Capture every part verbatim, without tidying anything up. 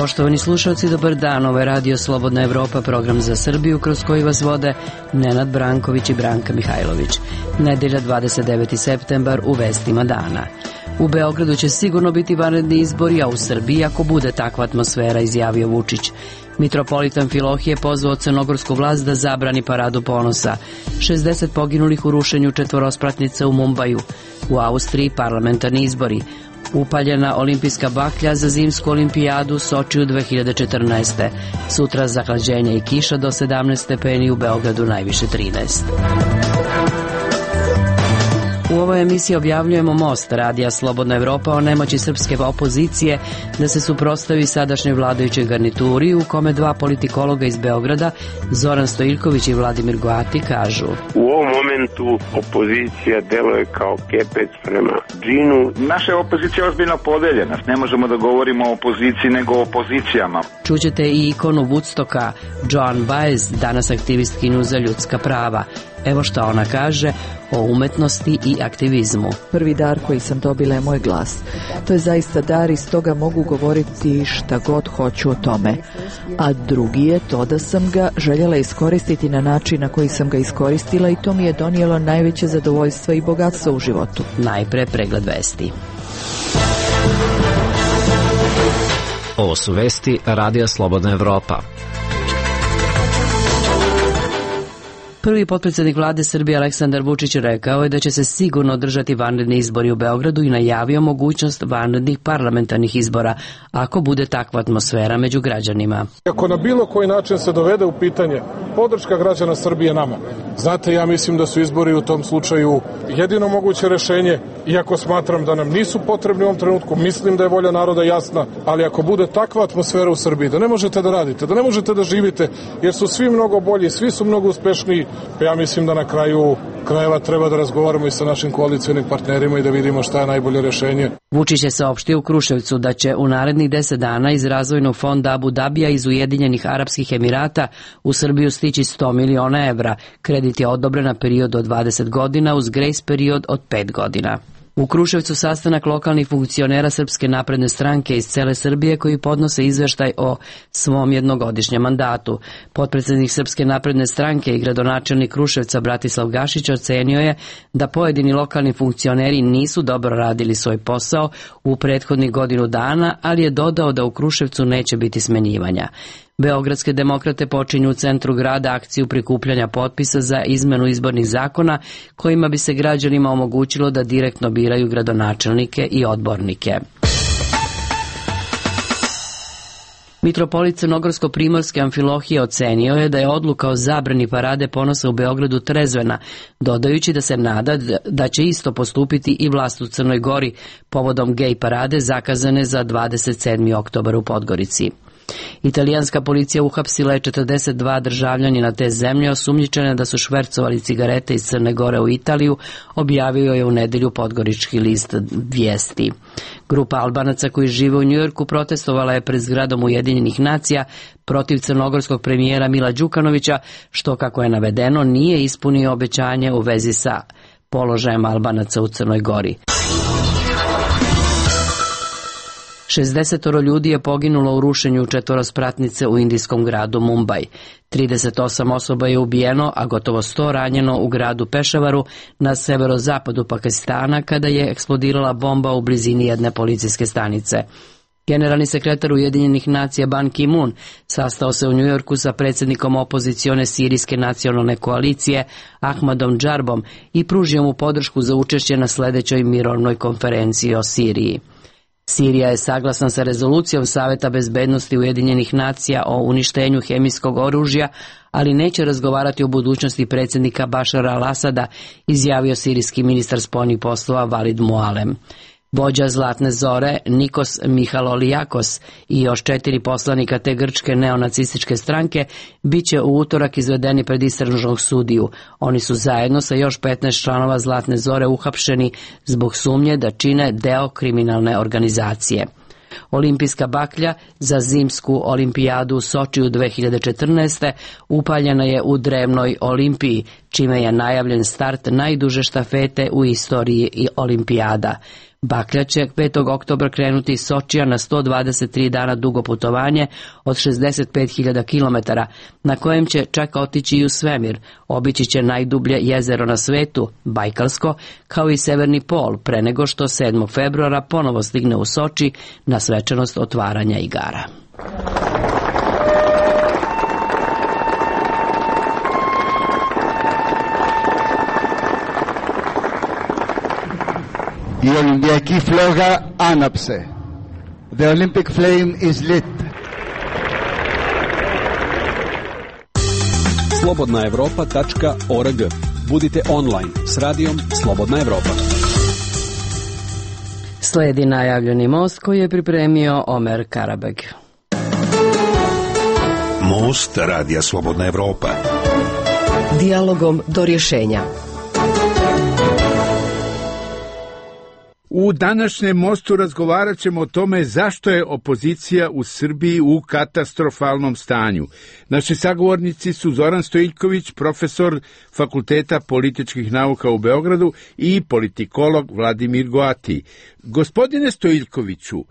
Poštovani slušalci, dobar dan. Ovo je Radio Slobodna Evropa, program za Srbiju kroz koji vas vode Nenad Branković i Branka Mihajlović. Nedelja dvadeset deveti septembar u vestima dana. U Beogradu će sigurno biti vanredni izbori, a u Srbiji ako bude takva atmosfera, izjavio Vučić. Mitropolita Amfilohije pozvao crnogorsku vlast da zabrani paradu ponosa. šezdeset poginulih u rušenju četvorospratnica u Mumbaju. U Austriji parlamentarni izbori. Upaljena olimpijska baklja za zimsku olimpijadu Sočiju dve hiljade četrnaeste. Sutra zahlađenje i kiša do sedamnaest stepeni, u Beogradu najviše trinaest. U ovoj emisiji objavljujemo most Radija Slobodna Evropa o nemoći srpske opozicije da se suprotstavi sadašnjoj vladajućoj garnituri, u kome dva politikologa iz Beograda, Zoran Stojiljković i Vladimir Goati, kažu: U ovom momentu opozicija deluje kao kepec prema džinu. Naša je opozicija ozbiljno podeljena. Ne možemo da govorimo o opoziciji nego o opozicijama. Čućete i ikonu Woodstocka, Joan Baez, danas aktivistkinju za ljudska prava. Evo šta ona kaže o umetnosti i aktivizmu. Prvi dar koji sam dobila je moj glas. To je zaista dar i stoga mogu govoriti šta god hoću o tome. A drugi je to da sam ga željela iskoristiti na način na koji sam ga iskoristila i to mi je donijelo najveće zadovoljstvo i bogatstvo u životu. Najpre pregled vesti. Ovo su vesti Radija Slobodna Evropa. Prvi potpredsjednik vlade Srbije Aleksandar Vučić rekao je da će se sigurno održati vanredni izbori u Beogradu i najavio mogućnost vanrednih parlamentarnih izbora ako bude takva atmosfera među građanima. Ako na bilo koji način se dovede u pitanje podrška građana Srbije nama, znate, ja mislim da su izbori u tom slučaju jedino moguće rešenje, iako smatram da nam nisu potrebni u ovom trenutku, mislim da je volja naroda jasna, ali ako bude takva atmosfera u Srbiji da ne možete da radite, da ne možete da živite, jer su svi mnogo bolji, svi su mnogo uspešniji, pa ja mislim da na kraju krajeva treba da razgovaramo i sa našim koalicionim partnerima i da vidimo šta je najbolje rešenje. Vučić je saopštio u Kruševcu da će u narednih deset dana iz razvojnog fonda Abu Dabija iz Ujedinjenih Arapskih Emirata u Srbiju stići sto miliona evra. Kredit je odobren na period od dvadeset godina uz grejs period od pet godina. U Kruševcu sastanak lokalnih funkcionera Srpske napredne stranke iz cele Srbije koji podnose izveštaj o svom jednogodišnjem mandatu. Potpredsjednik Srpske napredne stranke i gradonačelnik Kruševca Bratislav Gašić ocenio je da pojedini lokalni funkcioneri nisu dobro radili svoj posao u prethodnih godinu dana, ali je dodao da u Kruševcu neće biti smenjivanja. Beogradske demokrate počinju u centru grada akciju prikupljanja potpisa za izmenu izbornih zakona kojima bi se građanima omogućilo da direktno biraju gradonačelnike i odbornike. Mitropolit Crnogorsko-primorske Amfilohije ocenio je da je odluka o zabrani parade ponosa u Beogradu trezvena, dodajući da se nada da će isto postupiti i vlast u Crnoj Gori povodom gej parade zakazane za dvadeset sedmi oktobar u Podgorici. Italijanska policija uhapsila je četrdeset dva državljanina te zemlje osumnjičene da su švercovali cigarete iz Crne Gore u Italiju, objavio je u nedelju podgorički list Vijesti. Grupa Albanaca koji žive u Njujorku protestovala je pred zgradom Ujedinjenih nacija protiv crnogorskog premijera Mila Đukanovića, što, kako je navedeno, nije ispunio obećanje u vezi sa položajem Albanaca u Crnoj Gori. šezdeset ljudi je poginulo u rušenju četvorospratnice u indijskom gradu Mumbaj. trideset osam osoba je ubijeno, a gotovo sto ranjeno u gradu Pešavaru na severozapadu Pakistana kada je eksplodirala bomba u blizini jedne policijske stanice. Generalni sekretar Ujedinjenih nacija Ban Ki-moon sastao se u Njujorku sa predsjednikom opozicione sirijske nacionalne koalicije Ahmadom Džarbom i pružio mu podršku za učešće na sledećoj mirovnoj konferenciji o Siriji. Sirija je saglasna sa rezolucijom Saveta bezbednosti Ujedinjenih nacija o uništenju hemijskog oružja, ali neće razgovarati o budućnosti predsjednika Bašara al-Asada, izjavio sirijski ministar spoljnih poslova Valid Mualem. Vođa Zlatne zore Nikos Mihalolijakos i još četiri poslanika te grčke neonacističke stranke bit će u utorak izvedeni pred istražnog sudiju. Oni su zajedno sa još petnaest članova Zlatne zore uhapšeni zbog sumnje da čine deo kriminalne organizacije. Olimpijska baklja za zimsku olimpijadu u Sočiju dve hiljade četrnaeste. upaljena je u drevnoj Olimpiji, čime je najavljen start najduže štafete u istoriji olimpijada. Baklja će petog oktobra krenuti iz Sočija na sto dvadeset tri dana dugo putovanje od šezdeset pet hiljada kilometara, na kojem će čak otići i u svemir. Obići će najdublje jezero na svetu, Bajkalsko, kao i severni pol, pre nego što sedmog februara ponovo stigne u Soči na svečanost otvaranja igara. Η Ολυμπιακή φλόγα άναψε. The Olympic flame is lit. slobodna evropa tačka org. Budite online s radijom Slobodna Evropa. Sledi najavljeni most koji je pripremio Omer Karabeg. Most radija Slobodna Evropa. Dijalogom do rješenja. U današnjem mostu razgovarat ćemo o tome zašto je opozicija u Srbiji u katastrofalnom stanju. Naši sagovornici su Zoran Stojiljković, profesor Fakulteta političkih nauka u Beogradu, i politikolog Vladimir Goati. Gospodine Stojiljkoviću,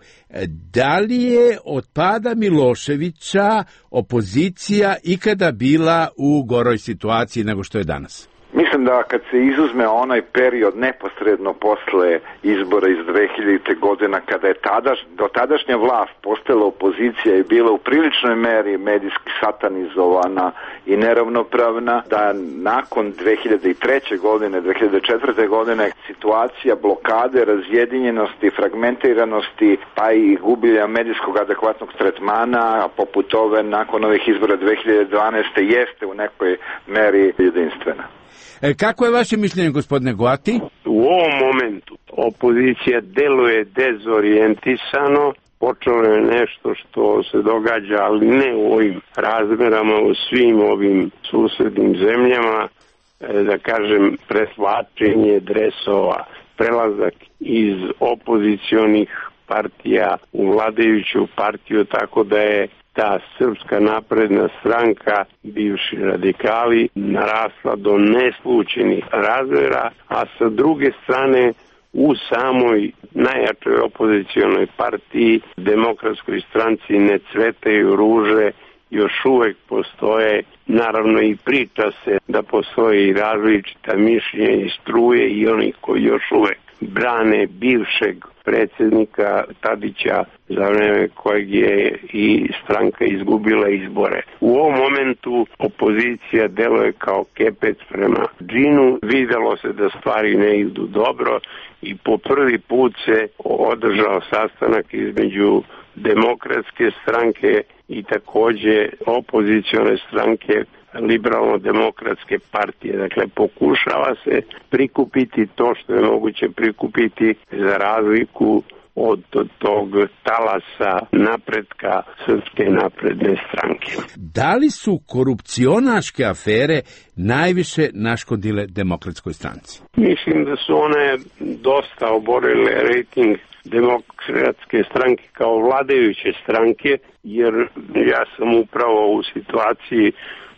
da li je od pada Miloševića opozicija ikada bila u goroj situaciji nego što je danas? Mislim da kad se izuzme onaj period neposredno posle izbora iz dve hiljadite godina, kada je tadaš, do tadašnja vlast postala opozicija i bila u priličnoj meri medijski satanizovana i neravnopravna, da nakon dve hiljade treće. godine, dve hiljade četvrte. godine situacija blokade, razjedinjenosti, fragmentiranosti, pa i gubljenja medijskog adekvatnog tretmana, poput ove nakon ovih izbora dve hiljade dvanaeste. jeste u nekoj meri jedinstvena. E, kako je vaše mišljenje, gospodine Goati? U ovom momentu opozicija deluje dezorijentisano, počelo je nešto što se događa, ali ne u ovim razmerama, u svim ovim susednim zemljama, da kažem, preslačenje dresova, prelazak iz opozicionih partija u vladajuću partiju, tako da je ta Srpska napredna stranka, bivši radikali, narasla do neslućenih razmjera, a sa druge strane u samoj najjačoj opozicionoj partiji, Demokratskoj stranci, ne cvetaju ruže, još uvek postoje, naravno i priča se da postoji različita mišljenja i struje i oni koji još uvek brane bivšeg predsjednika Tadića, za vreme kojeg je i stranka izgubila izbore. U ovom momentu opozicija deluje kao kepec prema džinu. Videlo se da stvari ne idu dobro i po prvi put se održao sastanak između Demokratske stranke i takođe opozicione stranke Liberalno-demokratske partije. Dakle, pokušava se prikupiti to što je moguće prikupiti za razliku od tog talasa napretka Srpske napredne stranke. Da li su korupcionaške afere najviše naškodile Demokratskoj stranci? Mislim da su one dosta oborile rejting Demokratske stranke kao vladajuće stranke, jer ja sam upravo u situaciji,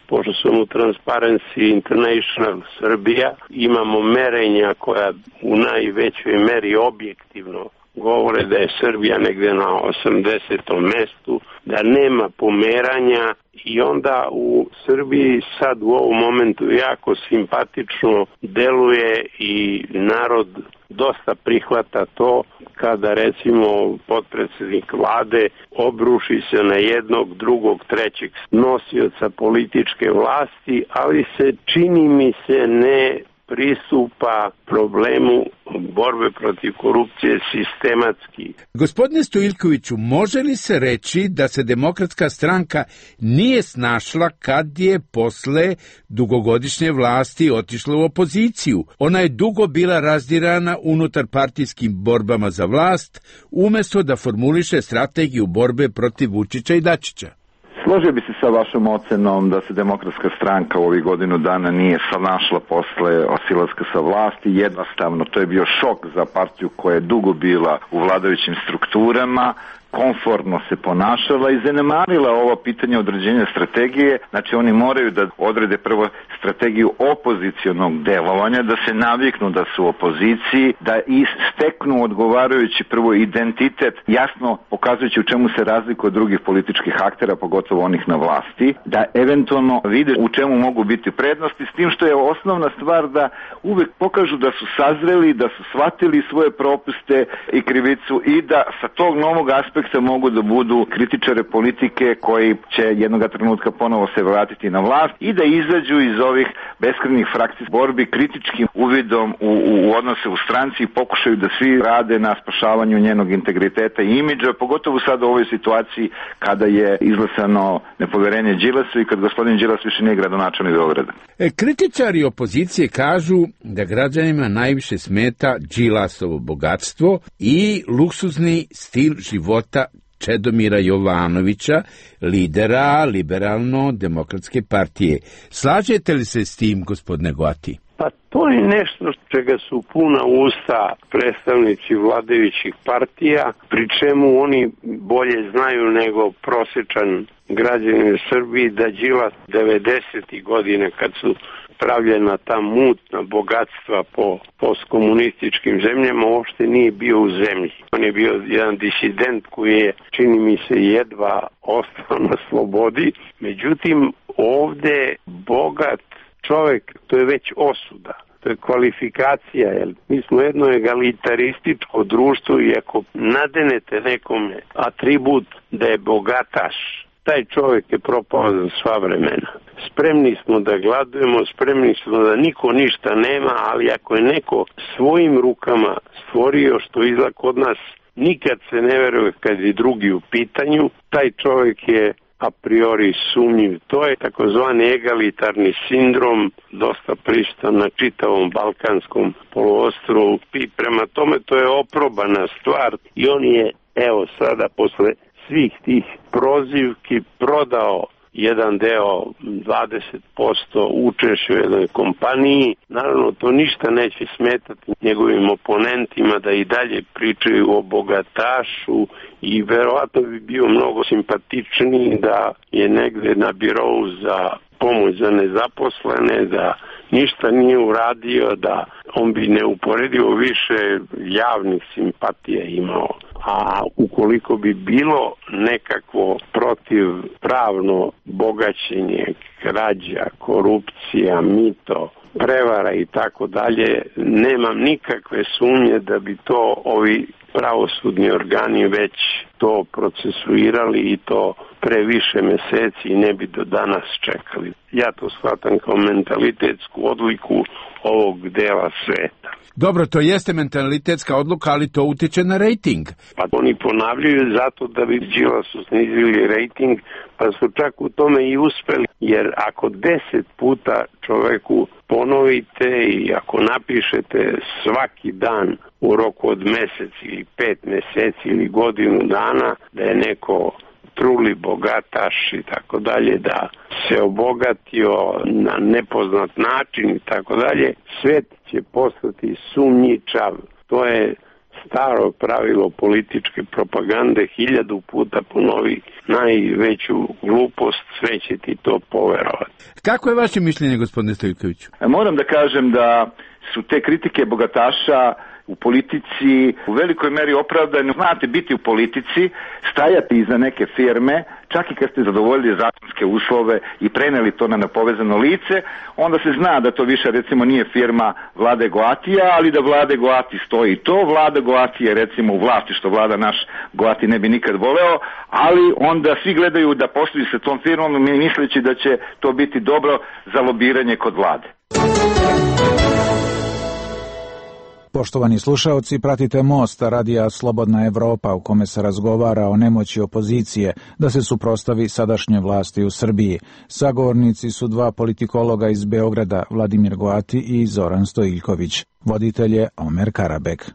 pošto sam u Transparency International Srbija, imamo merenja koja u najvećoj meri objektivno govore da je Srbija negde na osamdesetom mestu, da nema pomeranja i onda u Srbiji sad u ovom momentu jako simpatično deluje i narod dosta prihvata to kada recimo potpredsjednik vlade obruši se na jednog, drugog, trećeg nosioca političke vlasti, ali se čini mi se ne pristupa problemu borbe protiv korupcije sistematski. Gospodine Stojiljkoviću, može li se reći da se Demokratska stranka nije snašla kad je posle dugogodišnje vlasti otišla u opoziciju? Ona je dugo bila razdirana unutar partijskim borbama za vlast, umesto da formuliše strategiju borbe protiv Vučića i Dačića. Složio bi se sa vašom ocenom da se Demokratska stranka u ovih godinu dana nije snašla posle osilaska sa vlasti. Jednostavno, to je bio šok za partiju koja je dugo bila u vladajućim strukturama, komfortno se ponašala i zanemarila ovo pitanje određenja strategije. Znači oni moraju da odrede prvo strategiju opozicionog delovanja, da se naviknu da su u opoziciji, da i steknu odgovarajući prvo identitet, jasno pokazujući u čemu se razlikuje od drugih političkih aktera, pogotovo onih na vlasti, da eventualno vide u čemu mogu biti prednosti, s tim što je osnovna stvar da uvek pokažu da su sazreli, da su shvatili svoje propuste i krivicu i da sa tog novog aspekta mogu da budu kritičare politike koji će jednog trenutka ponovo se vratiti na vlast i da izađu iz ovih beskrajnih frakcijskih borbi kritičkim uvidom u, u odnose u stranci i pokušaju da svi rade na spašavanju njenog integriteta i imidža, pogotovo sad u ovoj situaciji kada je izglasano nepoverenje Đilasu i kad gospodin Đilas više nije gradonačelnik Beograda. E, kritičari opozicije kažu da građanima najviše smeta Đilasovo bogatstvo i luksuzni stil života Čedomira Jovanovića, lidera Liberalno-demokratske partije. Slažete li se s tim, gospodine Goati? Pa to je nešto čega su puna usta predstavnici vladajućih partija, pri čemu oni bolje znaju nego prosječan građanin u Srbiji da Đilas devedesetih godine kad su pravljena ta mutna bogatstva po postkomunističkim zemljama uopšte nije bio u zemlji. On je bio jedan disident koji je, čini mi se, jedva ostao na slobodi. Međutim, ovde bogat čovek, to je već osuda. To je kvalifikacija, jer mi smo jedno egalitarističko društvo i ako nadenete nekome atribut da je bogataš, taj čovjek je propao za sva vremena. Spremni smo da gladujemo, spremni smo da niko ništa nema, ali ako je neko svojim rukama stvorio što izgleda kod nas, nikad se ne veruje kad je drugi u pitanju, taj čovjek je a priori sumnjiv. To je takozvani egalitarni sindrom, dosta prisutan na čitavom balkanskom poluostrvu i prema tome to je oprobana stvar i on je, evo sada posle svih tih prozivki prodao jedan deo, dvadeset posto učešća u jednoj kompaniji. Naravno, to ništa neće smetati njegovim oponentima da i dalje pričaju o bogatašu i verovatno bi bio mnogo simpatičniji da je negde na birou za pomoć za nezaposlene, da ništa nije uradio, da on bi neuporedivo više javnih simpatija imao. A ukoliko bi bilo nekakvo protivpravno bogaćenje, krađa, korupcija, mito, prevara i tako dalje, nemam nikakve sumnje da bi to ovi pravosudni organi već to procesuirali i to pre više meseci i ne bi do danas čekali. Ja to shvatam kao mentalitetsku odliku ovog dela sveta. Dobro, to jeste mentalitetska odluka, ali to utiče na rejting. Pa oni ponavljaju zato da bi Đilasu snizili rejting, pa su čak u tome i uspeli. Jer ako deset puta čoveku ponovite i ako napišete svaki dan u roku od mesec ili pet meseci ili godinu dana da je neko truli bogataš i tako dalje, da se obogatio na nepoznat način i tako dalje, svet će postati sumnjičav. To je staro pravilo političke propagande, hiljadu puta ponovi najveću glupost, sve će ti to poverovati. Kako je vaše mišljenje, gospodine Stojkoviću? Moram da kažem da su te kritike bogataša u politici u velikoj meri opravdane. Znate, biti u politici, stajati iza neke firme, čak i kad ste zadovoljili zakonske uslove i preneli to na nepovezano lice, onda se zna da to više recimo nije firma Vlade Goatija, ali da Vlade Goati stoji to. Vlada Goati je recimo u vlasti, što Vlada naš Goati ne bi nikad voleo, ali onda svi gledaju da posluju sa tom firmom misleći da će to biti dobro za lobiranje kod Vlade. Poštovani slušaoci, pratite Most, radija Slobodna Evropa, u kome se razgovara o nemoći opozicije da se suprotstavi sadašnje vlasti u Srbiji. Sagovornici su dva politikologa iz Beograda, Vladimir Goati i Zoran Stojiljković. Voditelj je Omer Karabek.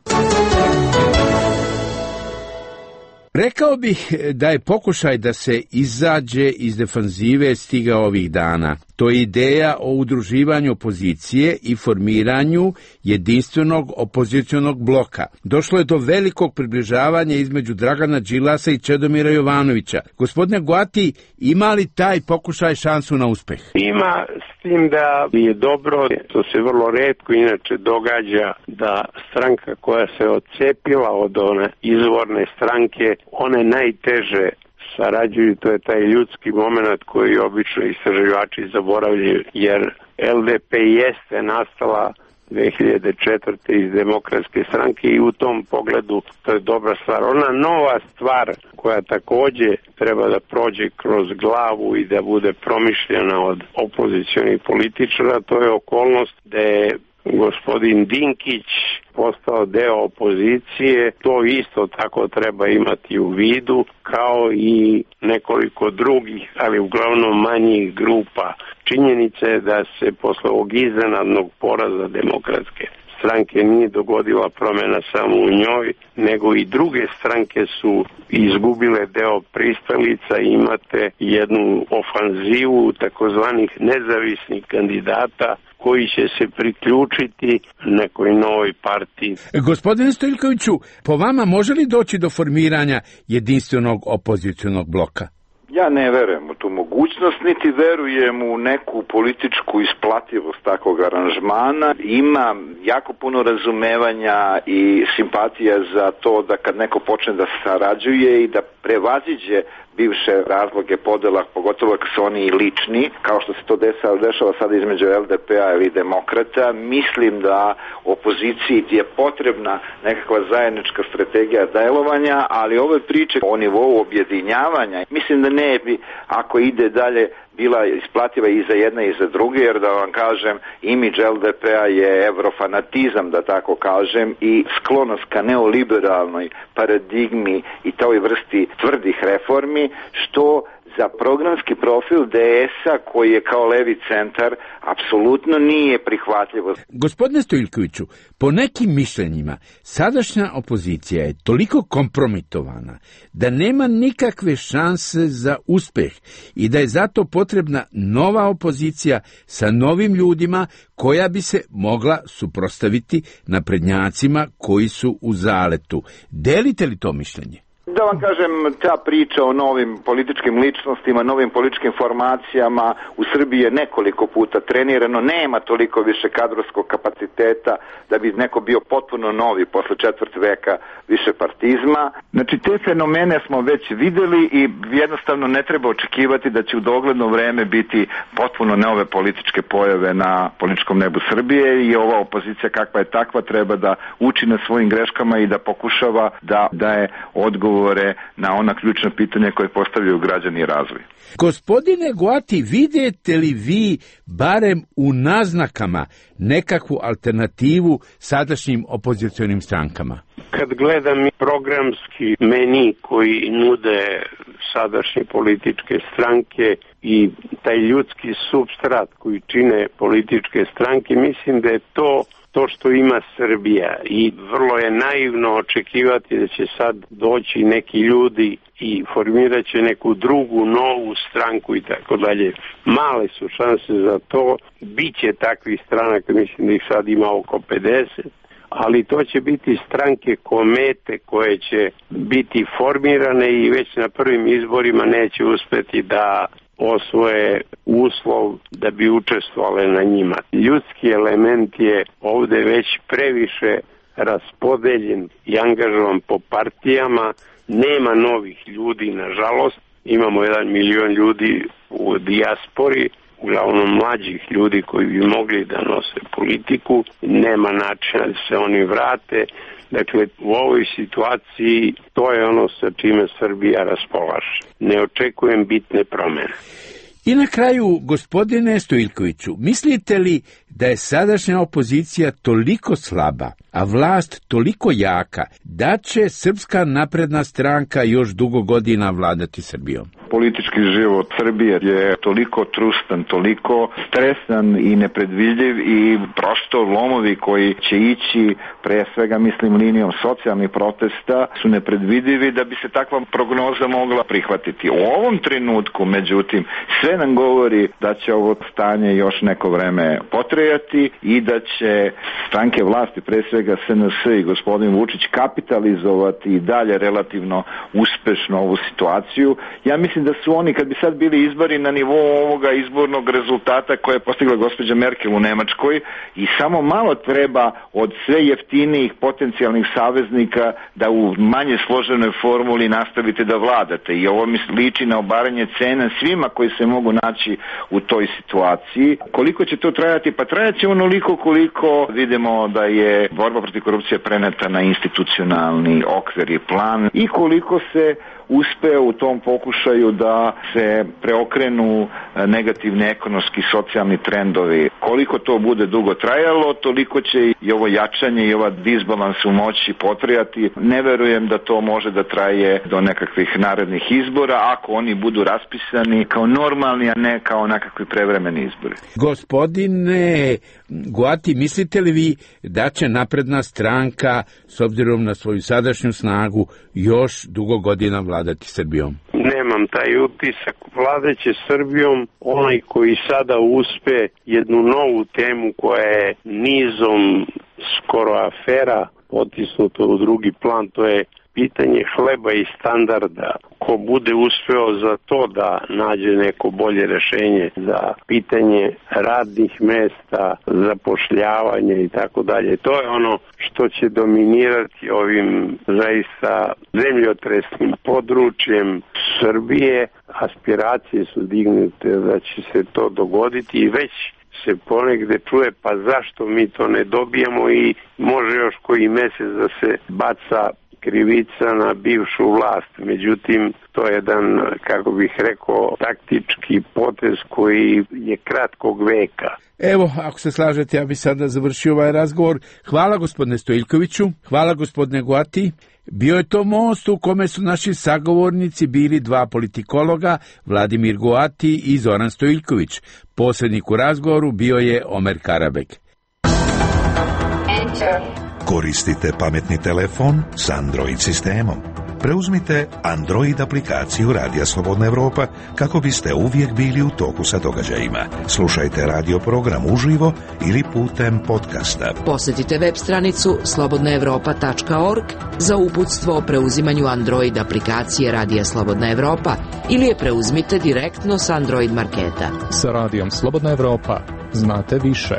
Rekao bih da je pokušaj da se izađe iz defanzive stigao ovih dana. To je ideja o udruživanju opozicije i formiranju jedinstvenog opozicionog bloka. Došlo je do velikog približavanja između Dragana Đilasa i Čedomira Jovanovića. Gospodine Goati, ima li taj pokušaj šansu na uspeh? Ima, s tim da je dobro, to se vrlo retko inače događa, da stranka koja se odcepila od one izvorne stranke, one najteže sarađuju, to je taj ljudski moment koji obično istraživači zaboravljaju, jer L D P jeste nastala dve hiljade četvrte iz Demokratske stranke i u tom pogledu to je dobra stvar. Ona nova stvar koja takođe treba da prođe kroz glavu i da bude promišljena od opozicionih političara, to je okolnost da je gospodin Dinkić postao deo opozicije. To isto tako treba imati u vidu, kao i nekoliko drugih, ali uglavnom manjih grupa. Činjenica je da se posle ovog iznenadnog poraza Demokratske stranke nije dogodila promjena samo u njoj, nego i druge stranke su izgubile deo pristalica. Imate jednu ofanzivu takozvanih nezavisnih kandidata koji će se priključiti nekoj novoj partiji. Gospodine Stojiljkoviću, po vama može li doći do formiranja jedinstvenog opozicionog bloka? Ja ne verujem u tu mogućnost, niti verujem u neku političku isplativost takvog aranžmana. Ima jako puno razumevanja i simpatija za to da kad neko počne da sarađuje i da prevaziđe bivše razloge podela, pogotovo ako su oni lični, kao što se to dešava, dešava sada između L D P-a ili Demokrata. Mislim da opoziciji je potrebna nekakva zajednička strategija delovanja, ali ove priče o nivou objedinjavanja, mislim da ne bi, ako ide dalje, bila isplativa i za jedne i za druge, jer da vam kažem, imidž L D P-a je evrofanatizam, da tako kažem, i sklonost ka neoliberalnoj paradigmi i toj vrsti tvrdih reformi, što za programski profil D S-a, koji je kao levi centar, apsolutno nije prihvatljivo. Gospodine Stojiljkoviću, po nekim mišljenjima, sadašnja opozicija je toliko kompromitovana da nema nikakve šanse za uspeh i da je zato potrebna nova opozicija sa novim ljudima koja bi se mogla suprotstaviti naprednjacima koji su u zaletu. Delite li to mišljenje? Da vam kažem, ta priča o novim političkim ličnostima, novim političkim formacijama u Srbiji je nekoliko puta trenirano, nema toliko više kadrovskog kapaciteta da bi neko bio potpuno novi posle četvrt veka više partizma. Znači, te fenomene smo već videli i jednostavno ne treba očekivati da će u dogledno vreme biti potpuno nove političke pojave na političkom nebu Srbije i ova opozicija kakva je takva treba da uči na svojim greškama i da pokušava da daje odgovor na ona ključna pitanja koje postavljaju građani i razvoj. Gospodine Goati, vidite li vi barem u naznakama nekakvu alternativu sadašnjim opozicionim strankama? Kad gledam programski meni koji nude sadašnje političke stranke i taj ljudski supstrat koji čine političke stranke, mislim da je to to što ima Srbija i vrlo je naivno očekivati da će sad doći neki ljudi i formirat će neku drugu novu stranku i tako dalje. Male su šanse za to, biće takvih stranaka, mislim da ih sad ima oko pedeset, ali to će biti stranke komete koje će biti formirane i već na prvim izborima neće uspeti da osvoje uslov da bi učestvovale na njima. Ljudski element je ovde već previše raspodeljen i angažovan po partijama, nema novih ljudi, nažalost. Imamo jedan milion ljudi u dijaspori, uglavnom mlađih ljudi koji bi mogli da nose politiku, nema načina da se oni vrate. Dakle, u ovoj situaciji to je ono sa čime Srbija raspolaže. Ne očekujem bitne promjene. I na kraju, gospodine Stojiljkoviću, mislite li da je sadašnja opozicija toliko slaba a vlast toliko jaka da će Srpska napredna stranka još dugo godina vladati Srbijom? Politički život Srbije je toliko trustan, toliko stresan i nepredvidljiv i prosto lomovi koji će ići, pre svega mislim linijom socijalnih protesta, su nepredvidivi da bi se takva prognoza mogla prihvatiti. U ovom trenutku, međutim, sve nam govori da će ovo stanje još neko vreme potrajati i da će stranke vlasti, pre svega S N S i gospodin Vučić, kapitalizovati i dalje relativno uspešno ovu situaciju. Ja mislim da su oni, kad bi sad bili izbori na nivou ovoga izbornog rezultata koje je postigla gospođa Merkel u Nemačkoj, i samo malo treba od sve jeftinijih potencijalnih saveznika da u manje složenoj formuli nastavite da vladate. I ovo mi liči na obaranje cena svima koji se mogu naći u toj situaciji. Koliko će to trajati? Pa trajaće onoliko koliko vidimo da je borba protiv korupcije preneta na institucionalni okvir i plan i koliko se uspe u tom pokušaju da se preokrenu negativni ekonomski i socijalni trendovi. Koliko to bude dugo trajalo, toliko će i ovo jačanje i ova disbalans u moći potrajati. Ne verujem da to može da traje do nekakvih narednih izbora, ako oni budu raspisani kao normalni, a ne kao nekakvi prevremeni izbori. Gospodine Goati, mislite li vi da će napredna stranka, s obzirom na svoju sadašnju snagu, još dugo godina vladati Srbijom? Nemam taj utisak. Vladaće Srbijom onaj koji sada uspe jednu novu temu koja je nizom skoro afera potisnuto u drugi plan, to je pitanje hleba i standarda. Ko bude uspeo za to da nađe neko bolje rešenje za pitanje radnih mesta, zapošljavanje i tako dalje, to je ono što će dominirati ovim zaista zemljotresnim područjem Srbije. Aspiracije su dignute da će se to dogoditi i već se ponegde čuje, pa zašto mi to ne dobijemo, i može još koji mesec da se baca krivica na bivšu vlast. Međutim, to je jedan, kako bih rekao, taktički potez koji je kratkog veka. Evo, ako se slažete, ja bih sada završio ovaj razgovor. Hvala gospodine Stojiljkoviću, hvala gospodine Goati. Bio je to most u kome su naši sagovornici bili dva politikologa, Vladimir Goati i Zoran Stojiljković. Posrednik u razgovoru bio je Omer Karabek. Koristite pametni telefon s Android sistemom. Preuzmite Android aplikaciju Radija Slobodna Evropa kako biste uvijek bili u toku sa događajima. Slušajte radio program uživo ili putem podcasta. Posjetite web stranicu slobodna evropa tačka org za uputstvo o preuzimanju Android aplikacije Radija Slobodna Evropa ili je preuzmite direktno s Android marketa. Sa Radijom Slobodna Evropa znate više.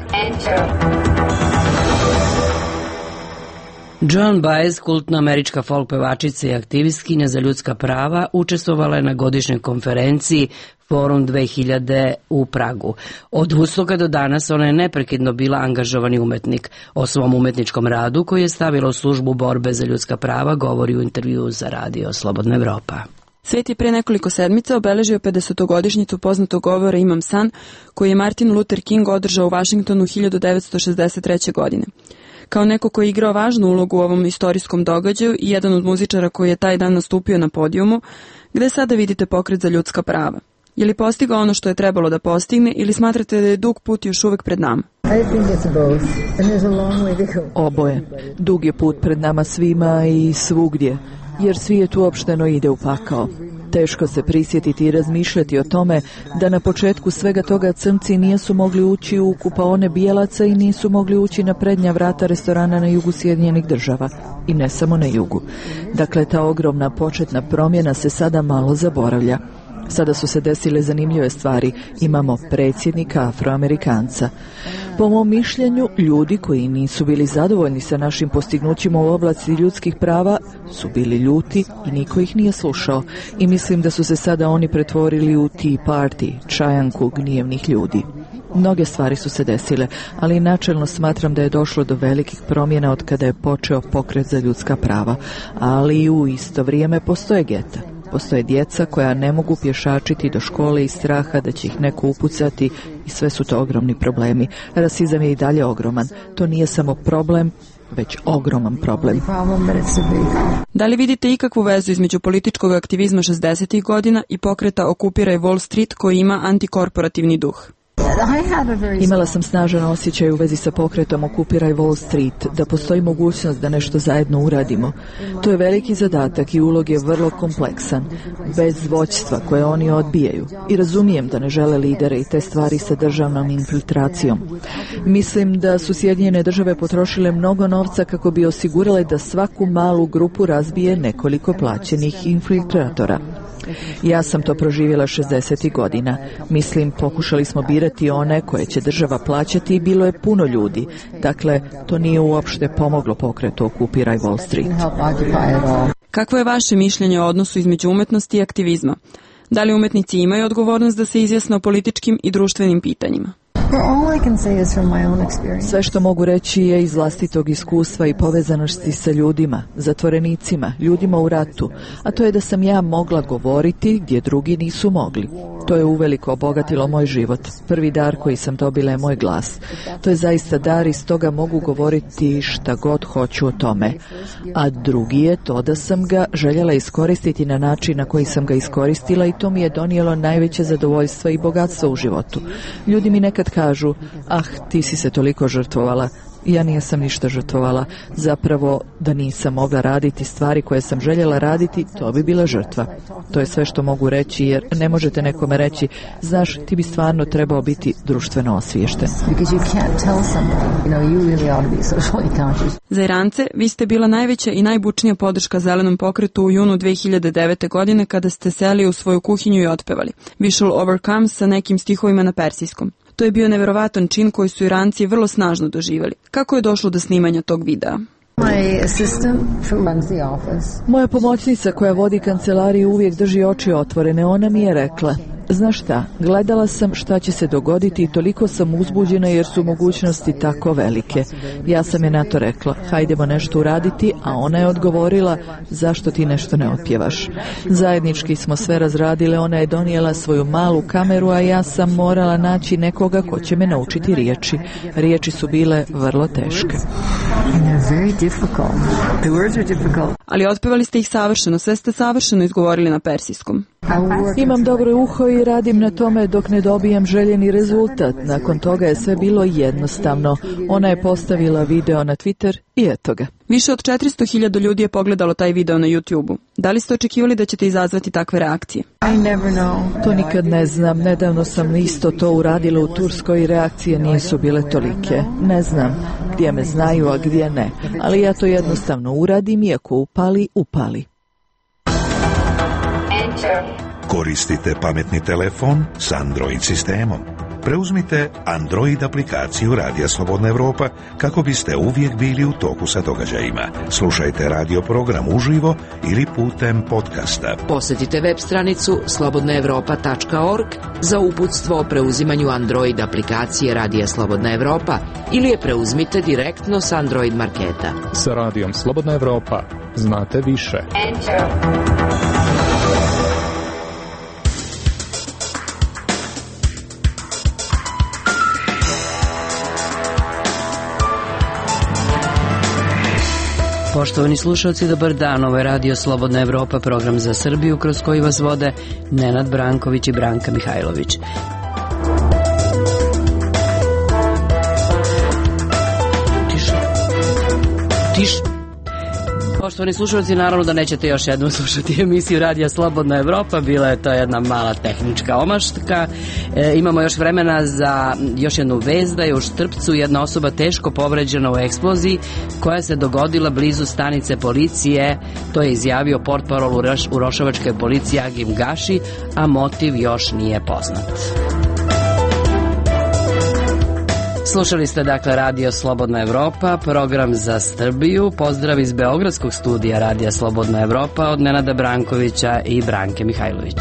Joan Baez, kultna američka folk pevačica i aktivistkinja za ljudska prava, učestvovala je na godišnjoj konferenciji Forum dve hiljade u Pragu. Od Woodstocka do danas ona je neprekidno bila angažovani umetnik. O svom umetničkom radu koji je stavila u službu borbe za ljudska prava govori u intervju za Radio Slobodna Evropa. Svet je pre nekoliko sedmica obeležio pedesetogodišnjicu poznatog govora Imam San, koji je Martin Luther King održao u Vašingtonu hiljadu devetsto šezdeset treće. godine. Kao neko koji je igrao važnu ulogu u ovom istorijskom događaju i jedan od muzičara koji je taj dan nastupio na podijumu, gde sada vidite pokret za ljudska prava? Je li postigao ono što je trebalo da postigne ili smatrate da je dug put još uvek pred nama? Oboje. Dug je put pred nama svima i svugdje, jer svijet uopšteno ide u pakao. Teško se prisjetiti i razmišljati o tome da na početku svega toga crnci nisu mogli ući u kupaone bijelaca i nisu mogli ući na prednja vrata restorana na jugu Sjedinjenih država. I ne samo na jugu. Dakle, ta ogromna početna promjena se sada malo zaboravlja. Sada su se desile zanimljive stvari. Imamo predsjednika Afroamerikanca. Po mom mišljenju, ljudi koji nisu bili zadovoljni sa našim postignućima u oblasti ljudskih prava su bili ljuti i niko ih nije slušao. I mislim da su se sada oni pretvorili u Tea Party, čajanku gnjevnih ljudi. Mnoge stvari su se desile, ali načelno smatram da je došlo do velikih promjena od kada je počeo pokret za ljudska prava. Ali u isto vrijeme postoje geta. Postoje djeca koja ne mogu pješačiti do škole iz straha da će ih neko upucati i sve su to ogromni problemi. Rasizam je i dalje ogroman. To nije samo problem, već ogroman problem. Da li vidite ikakvu vezu između političkog aktivizma šezdesetih godina i pokreta Okupiraj Wall Street koji ima antikorporativni duh? Imala sam snažan osjećaj u vezi sa pokretom Okupiraj Wall Street, da postoji mogućnost da nešto zajedno uradimo. To je veliki zadatak i ulog je vrlo kompleksan, bez vođstva koje oni odbijaju. I razumijem da ne žele lidere i te stvari sa državnom infiltracijom. Mislim da su Sjedinjene države potrošile mnogo novca kako bi osigurale da svaku malu grupu razbije nekoliko plaćenih infiltratora. Ja sam to proživjela šezdesetih godina. Mislim, pokušali smo birati one koje će država plaćati i bilo je puno ljudi. Dakle, to nije uopšte pomoglo pokretu Okupiraj Wall Street. Kakvo je vaše mišljenje o odnosu između umetnosti i aktivizma? Da li umetnici imaju odgovornost da se izjasne o političkim i društvenim pitanjima? Sve što mogu reći je iz vlastitog iskustva i povezanosti sa ljudima, zatvorenicima, ljudima u ratu, a to je da sam ja mogla govoriti gdje drugi nisu mogli. To je uveliko obogatilo moj život. Prvi dar koji sam dobila je moj glas. To je zaista dar i stoga mogu govoriti šta god hoću o tome. A drugi je to da sam ga željela iskoristiti na način na koji sam ga iskoristila i to mi je donijelo najveće zadovoljstva i bogatstvo u životu. Ljudi mi nekad kažu, ah, ti si se toliko žrtvovala. Ja nisam ništa žrtvovala. Zapravo, da nisam mogla raditi stvari koje sam željela raditi, to bi bila žrtva. To je sve što mogu reći, jer ne možete nekome reći, znaš, ti bi stvarno trebao biti društveno osviješten. Za Irance, vi ste bila najveća i najbučnija podrška zelenom pokretu u junu dve hiljade devete. godine kada ste seli u svoju kuhinju i otpevali We Shall Overcome sa nekim stihovima na persijskom. To je bio neverovatan čin koji su Iranci vrlo snažno doživjeli. Kako je došlo do snimanja tog videa? Moja pomoćnica koja vodi kancelariju uvijek drži oči otvorene. Ona mi je rekla, znaš šta, gledala sam šta će se dogoditi i toliko sam uzbuđena jer su mogućnosti tako velike. Ja sam je na to rekla, hajdemo nešto uraditi, a ona je odgovorila, zašto ti nešto ne otpjevaš. Zajednički smo sve razradile, ona je donijela svoju malu kameru, a ja sam morala naći nekoga ko će me naučiti riječi. Riječi su bile vrlo teške. Ali otpevali ste ih savršeno, sve ste savršeno izgovorili na persijskom. Imam dobro uho i radim na tome dok ne dobijem željeni rezultat. Nakon toga je sve bilo jednostavno. Ona je postavila video na Twitter i eto ga. Više od četiristo hiljada ljudi je pogledalo taj video na YouTube-u. Da li ste očekivali da ćete izazvati takve reakcije? To nikad ne znam. Nedavno sam isto to uradila u Turskoj i reakcije nisu bile tolike. Ne znam gdje me znaju, a gdje ne. Ali ja to jednostavno uradim i ako upali, upali. Koristite pametni telefon s Android sistemom. Preuzmite Android aplikaciju Radija Slobodna Evropa kako biste uvijek bili u toku sa događajima. Slušajte radio program uživo ili putem podcasta. Posjetite web stranicu slobodna evropa tačka org za uputstvo o preuzimanju Android aplikacije Radija Slobodna Evropa ili je preuzmite direktno s Android marketa. Sa Radijom Slobodna Evropa znate više. Enter. Poštovani slušalci, dobar dan. Ovo je Radio Slobodna Evropa, program za Srbiju kroz koji vas vode Nenad Branković i Branka Mihajlović. Tiš. Tiš. Poštovani slušalci, naravno da nećete još jednom slušati emisiju Radija Slobodna Evropa, bila je to jedna mala tehnička omaška. E, imamo još vremena za još jednu vest da je u Štrpcu jedna osoba teško povređena u eksploziji koja se dogodila blizu stanice policije. To je izjavio portparol u Rošavačke policije Agim Gaši, a motiv još nije poznat. Slušali ste dakle Radio Slobodna Evropa, program za Srbiju. Pozdrav iz Beogradskog studija Radija Slobodna Evropa od Nenada Brankovića i Branke Mihajlović.